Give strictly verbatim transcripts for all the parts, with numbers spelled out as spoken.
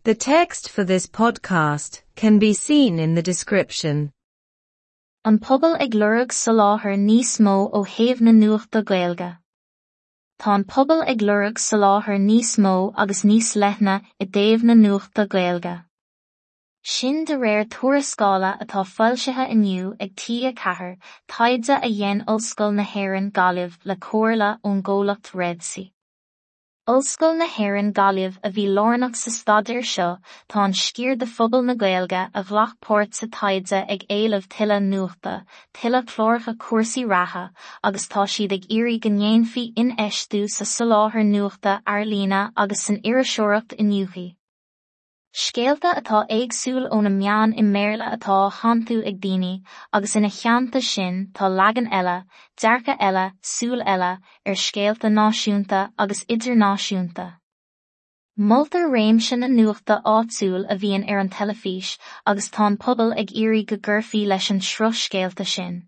The text for this podcast can be seen in the description. An pobal ag lorg soláthar níos mó ó thaobh na nuachta Gaeilge. Tá an pobal ag lorg soláthar níos mó agus níos leithne i dtaobh na nuachta Gaeilge. Sin de réir tuarascála atá foilsithe inniu ag T a ceathair, taighde a dhein Ollscoil na hÉireann Gaillimh le comhairle ón gcomhlacht Red C. Ollscoil na hÉireann Gaillimh a bhí lárnach sa staidéar seo, tá an sciar de phobal na Gaeilge a ghlac páirt sa taighde ag éileamh tuilleadh nuachta, tuilleadh cláracha cúrsaí reatha, agus tá siad ag iarraidh go ndéanfaí infheistiú sa soláthar nuachta ar líne agus san iriseoireacht iniúchaidh. Scéalta atá éagsúil ó na meáin i mBéarla atá á shantú ag daoine, agus ina theannta sin tá leagan eile, dearcadh eile, súil eile, ar scéalta náisiúnta agus idirnáisiúnta. Moltar réimse na nuachta áitiúil a bhíonn ar an teilifís agus tá an pobal ag iarraidh go gcuirfí leis an sruth scéalta sin.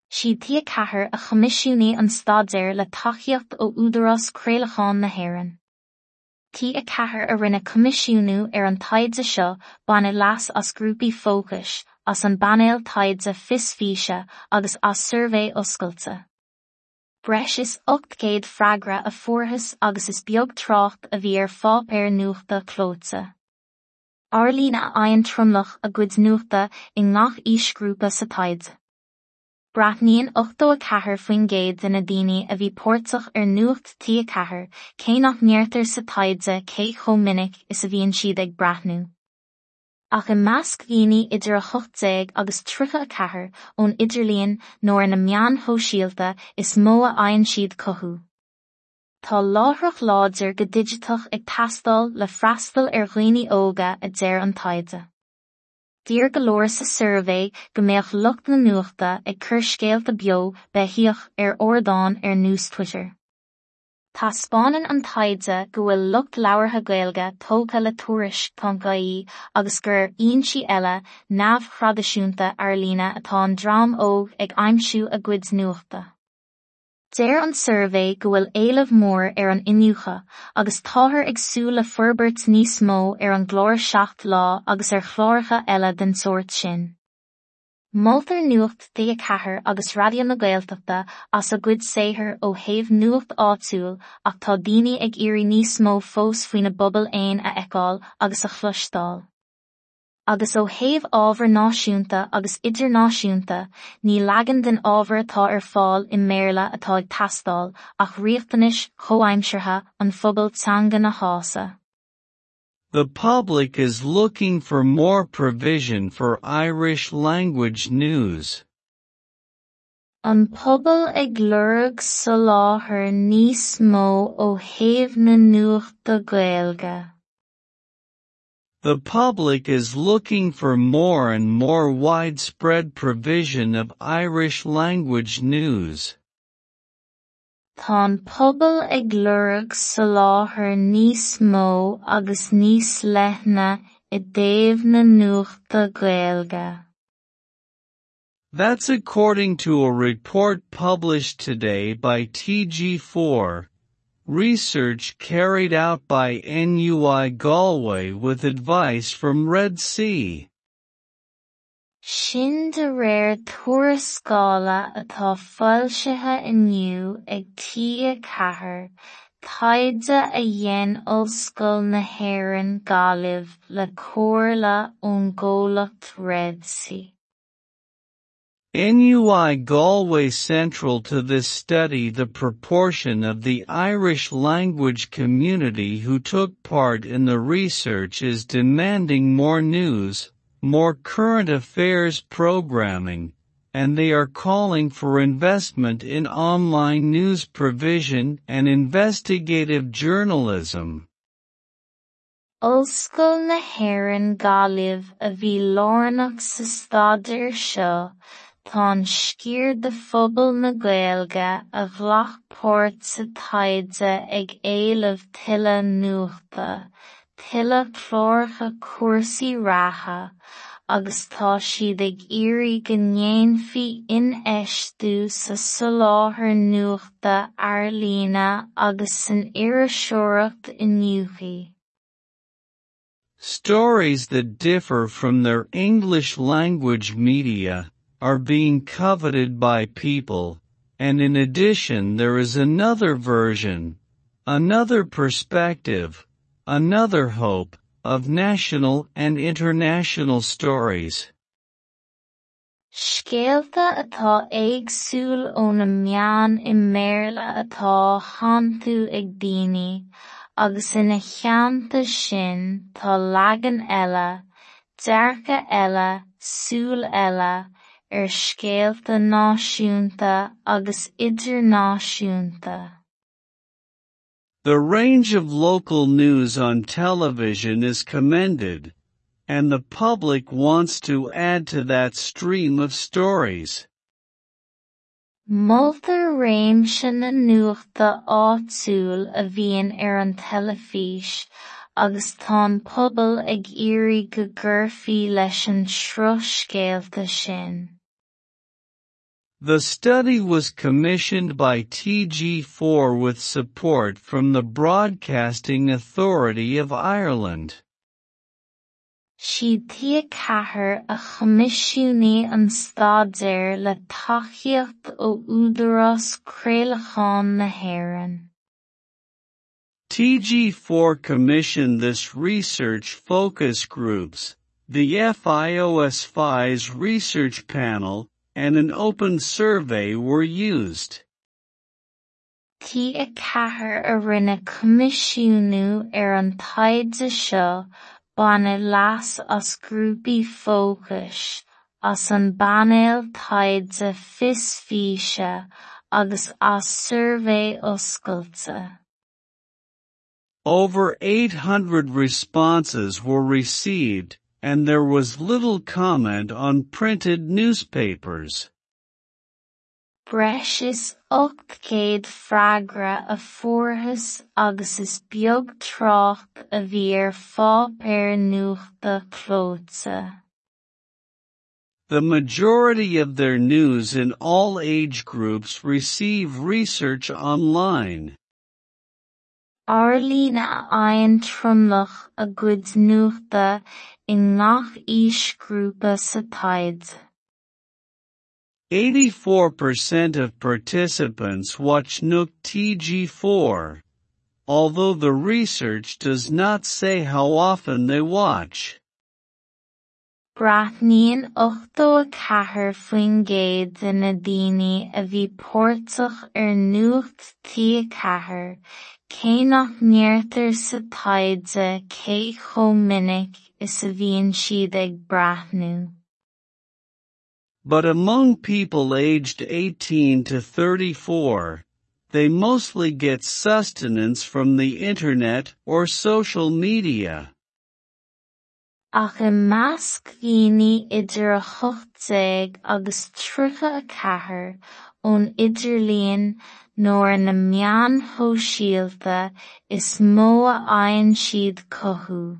Siad T a ceathair a choimisiúnaigh an staidéar le tacaíocht ó Údarás Craolacháin na hÉireann. T a ceathair a rinne coimisiúnú ar an taighde seo baineadh leas as grúpaí fócais, as an bpainéal taighde Fios Físe agus as suirbhé oscailte. Breis is ocht gcéad freagra a fuarthas agus is beag trácht a bhí ar pháipéar nuachta clóite. Ar líne a fhaigheann tromlach a gcuid nuachta i ngach aoisghrúpa sa taighde. Breathnaíonn ochtó a ceathair faoin gcéad de na daoine a bhí páirteach ar Nuacht T a ceathair, cé nach ndeirtear sa taighde cé chomh minic is a bhíonn siad ag breathnú. Ach i measc daoine idir a hocht déag agus tríocha a ceathair ón idirlíon nó ar na meáin shóisialta is mó a fhaigheann siad cothú. Tá láithreach láidir go digiteach ag teastáil le freastal ar dhaoine óga a deir an taighde. D'iarr go leor sa suirbhé go mbeadh lucht na nuachta ag cur scéalta beo beithíoch ar ardáin ar nós Twitter. Taispeánann an taighde go bhfuil lucht labhartha Gaeilge tógtha le tuairisc ponc ie agus gur ar fhoinsí eile neamhthraidisiúnta ar líne atá an dream óg ag aimsiú a gcuid nuachta. Deir an suirbhé go bhfuil éileamh mór ar an iniúchadh agus táthar ag súil le forbairt níos mó ar an gclár seacht lá agus ar chláracha eile den sórt sin. Moltar Nuacht T a ceathair agus Raidió na Gaeltachta as a gcuid saothair ó thaobh nuacht áitiúil ach tá daoine ag iarraidh níos mó fós faoina bpobal féin a fheiceáil agus a chloisteáil. Agus ó thaobh ábhar náisiúnta agus idirnáisiúnta, ní leagan den ábhar atá ar fáil i mBéarla atá ag teastáil ach riachtanais chomhaimseartha an phobail teanga na shásamh. The public is looking for more provision for Irish language news. An pobal ag lorg soláthar níos mó ó thaobh na nuachta Gaeilge. The public is looking for more and more widespread provision of Irish language news. Tá an pobal ag lorg soláthar níos mó agus níos leithne i dtaobh na nuachta Gaeilge. That's according to a report published today by T G four, research carried out by N U I Galway with advice from Red C. Sin de réir tuarascála atá foilsithe inniu ag T a ceathair, taighde a dhein Ollscoil na hÉireann Gaillimh le comhairle ón gcomhlacht Red C. N U I Galway. Central to this study, the proportion of the Irish language community who took part in the research is demanding more news, more current affairs programming, and they are calling for investment in online news provision and investigative journalism. Ollscoil na hÉireann Gaillimh a bhí lárnach sa staidéar seo, tá an sciar de phobal na Gaeilge a ghlac páirt sa taighde ag éileamh tuilleadh nuachta, tuilleadh cláracha cúrsaí reatha, agus tá siad ag iarraidh go ndéanfaí infheistiú sa soláthar nuachta ar líne agus san iriseoireacht iniúchaidh. Stories that differ from their English language media are being coveted by people, and in addition there is another version, another perspective, another hope, of national and international stories. Scéalta atá éagsúil ó na meáin i mBéarla atá á shantú ag daoine, agus ina theannta sin tá leagan eile, dearcadh eile, súil eile, ar scéalta náisiúnta agus idirnáisiúnta. The range of local news on television is commended, and the public wants to add to that stream of stories. Moltar réimse na nuachta áitiúil a bhíonn ar an teilifís, agus tá an pobal ag iarraidh go gcuirfí leis an sruth scéalta sin. The study was commissioned by T G four with support from the Broadcasting Authority of Ireland. Siad T ceathair a choimisiúnaigh an staidéar le tacaíocht ó Údarás Craolacháin na hÉireann. T G four commissioned this research focus groups, the F I O S F I S research panel, and an open survey were used. T ceathair a rinne coimisiúnú ar an taighde seo baineadh leas as grúpaí fócais, as an bpainéal taighde Fios Físe agus as suirbhé oscailte. Over eight hundred responses were received, and there was little comment on printed newspapers. Breis is ocht gcéad freagra a fuarthas agus is beag trácht a bhí ar pháipéir nuachta clóite. The majority of their news in all age groups receive research online. Ar líne a fhaigheann tromlach a gcuid nuachta i ngach aoisghrúpa sa taighde. eighty-four percent of participants watch Nuacht T G four, although the research does not say how often they watch. Breathnaíonn ochtó a ceathair faoin gcéad de na daoine a bhí páirteach ar Nuacht T ceathair, cé nach ndeirtear sa taighde cé chomh minic is a bhíonn siad ag breathnú. But among people aged eighteen to thirty-four, they mostly get sustenance from the internet or social media. Ach i measc daoine idir a hocht déag agus tríocha a ceathair, ón idirlíon nó ar na meáin shóisialta is mó a fhaigheann siad cothú.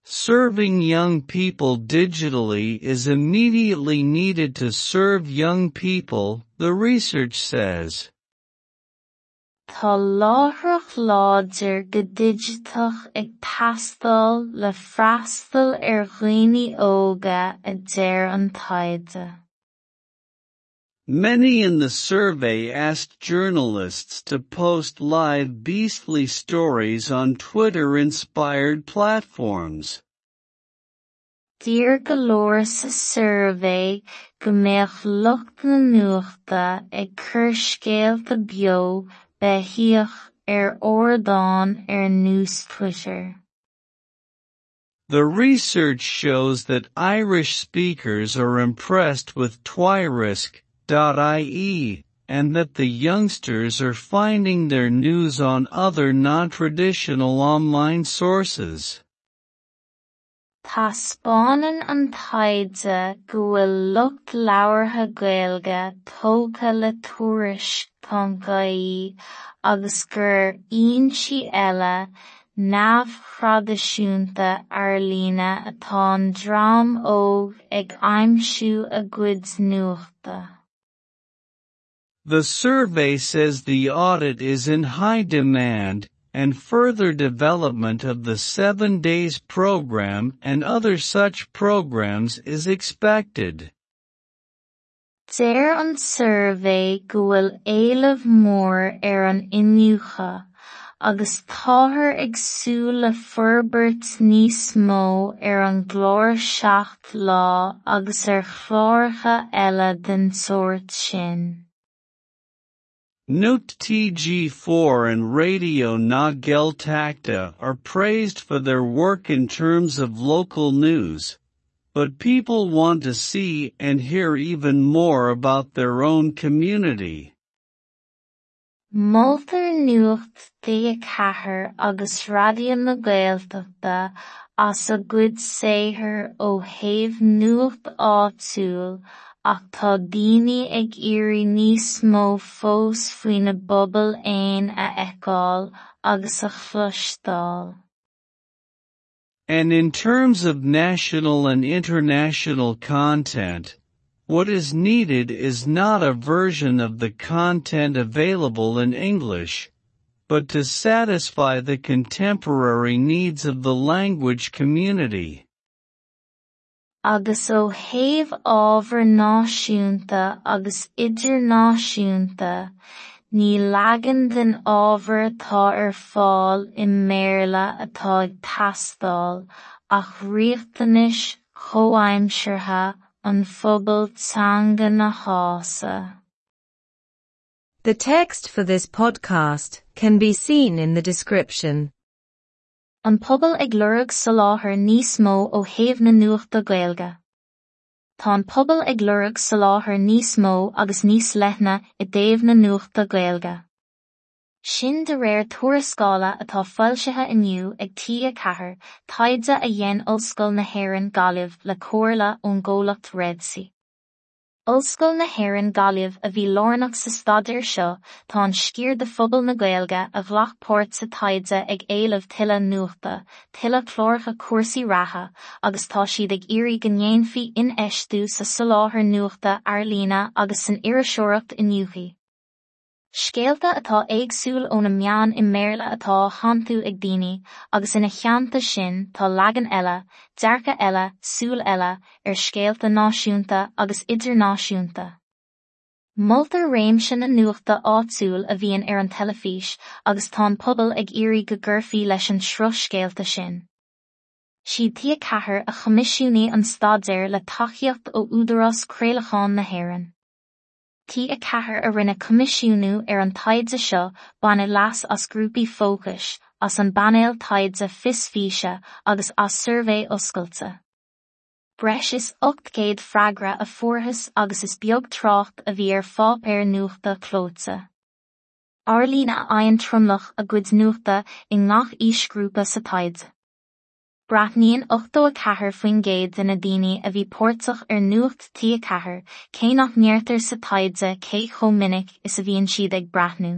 Serving young people digitally is immediately needed to serve young people, the research says. Tá láithreach láidir go digiteach ag teastáil le freastal ar dhaoine óga, a deir an taighde. Many in the survey asked journalists to post live beastly stories on Twitter-inspired platforms. D'iarr go leor sa suirbhé go mbeadh lucht na nuachta ag cur scéalta beo beithíoch ar ardáin ar nós Twitter. The research shows that Irish speakers are impressed with Tuairisc dot I E, and that the youngsters are finding their news on other non-traditional online sources. Taispeánann an taighde go bhfuil lucht labhartha Gaeilge tógtha le Tuairisc ponc I E agus gur ar fhoinsí eile neamhthraidisiúnta ar líne atá an dream óg ag aimsiú a gcuid nuachta. The survey says the audit is in high demand, and further development of the Seven Days program and other such programs is expected. Deir an suirbhé go bhfuil éileamh mór ar an iniúchadh, agus táthar ag súil le forbairt níos mó ar an gclár seacht lá agus ar chláracha eile den sórt sin. Nuacht TG four and Raidió na Gaeltachta are praised for their work in terms of local news, but people want to see and hear even more about their own community. Moltar Nuacht TG ceathair agus Raidió na Gaeltachta as a gcuid saothair ó thaobh nuacht áitiúil ach tá daoine ag iarraidh níos mó fós faoina bpobal féin a fheiceáil agus a chloisteáil. And in terms of national and international content, what is needed is not a version of the content available in English, but to satisfy the contemporary needs of the language community. Agus ó thaobh ábhar náisiúnta agus idirnáisiúnta, ní leagan den ábhar atá ar fáil i mBéarla atá ag teastáil ach riachtanais chomhaimseartha an phobail teanga na shásamh. The text for this podcast can be seen in the description. An pobal ag lorg soláthar níos mó ó thaobh na nuachta Gaeilge. Tá an pobal ag lorg soláthar níos mó agus níos leithne i dtaobh na nuachta Gaeilge. Sin de réir tuarascála atá foilsithe inniu ag TG ceathair, taighde a dhein Ollscoil na hÉireann Gaillimh le comhairle ón gcomhlacht Red C. Ollscoil na hÉireann Gaillimh a bhí lárnach sa staidéar seo, tá an sciar de phobal na Gaeilge a ghlac páirt sa taighde ag éileamh tuilleadh nuachta, tuilleadh cláracha cúrsaí reatha, agus tá siad ag iarraidh go ndéanfaí infheistiú sa soláthar nuachta ar líne agus san iriseoireacht iniúchaí. Scéalta atá éagsúil ó na meáin i mBéarla atá á shantú ag daoine, agus ina theannta sin tá leagan eile, dearcadh eile, súil eile, ar scéalta náisiúnta agus idirnáisiúnta. Moltar réimse na nuachta áitiúil a bhíonn ar an teilifís agus tá an pobal ag iarraidh go gcuirfí leis an sruth scéalta sin. Siad TG ceathair a choimisiúnaigh an staidéar le tacaíocht ó Údarás Craolacháin na hÉireann. TG ceathair a rinne coimisiúnú ar an taighde seo baineadh leas as grúpaí fócais, as an bpainéal taighde Fios Físe agus as suirbhé oscailte. Breis is ocht gcéad freagra a fuarthas agus is beag trácht a bhí ar pháipéar nuachta clóite. Ar líne a fhaigheann tromlach a gcuid nuachta i ngach aoisghrúpa sa taighde. Breathnaíonn ochtó a ceathair faoin gcéad de na daoine a bhí páirteach ar Nuacht TG ceathair, cé nach ndeirtear sa taighde cé chomh minic is a bhíonn siad ag breathnú.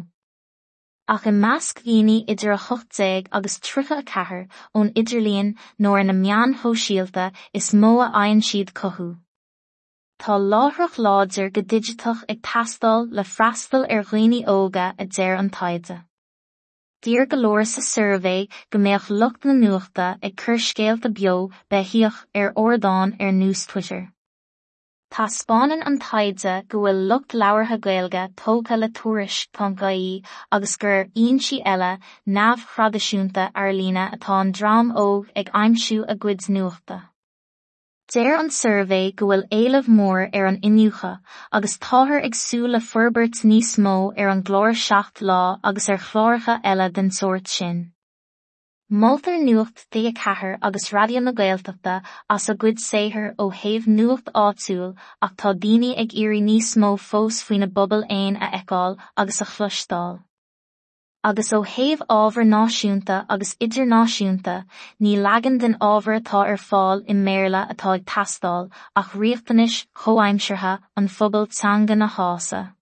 Ach i measc daoine idir a hocht déag agus tríocha a ceathair ón idirlíon nó ar na meáin shóisialta is mó a fhaigheann siad cothú. Tá láithreach láidir go digiteach ag teastáil le freastal ar dhaoine óga a deir an taighde. D'iarr go leor sa suirbhé go mbeadh lucht na nuachta ag cur scéalta beo beithíoch ar ardáin ar nós Twitter. Taispeánann an taighde go bhfuil lucht labhartha Gaeilge tógtha le tuairisc.ie agus gur ar fhoinsí eile neamhthraidisiúnta ar líne atá an dream óg ag aimsiú a gcuid nuachta. Deir an suirbhé go bhfuil éileamh mór ar an iniúchadh agus táthar ag súil le forbairt níos mó ar an gclár seacht lá agus ar chláracha eile den sórt sin. Moltar Nuacht TG ceathair agus Raidió na Gaeltachta as a gcuid saothair ó thaobh nuacht áitiúil ach tá daoine ag iarraidh níos mó fós faoina bpobal féin a fheiceáil agus a chloisteáil. Agus ó thaobh ábhar náisiúnta agus idirnáisiúnta, ní leagan den ábhar atá ar fáil i mBéarla atá ag teastáil ach riachtanais chomhaimseartha an phobail teanga na shásamh.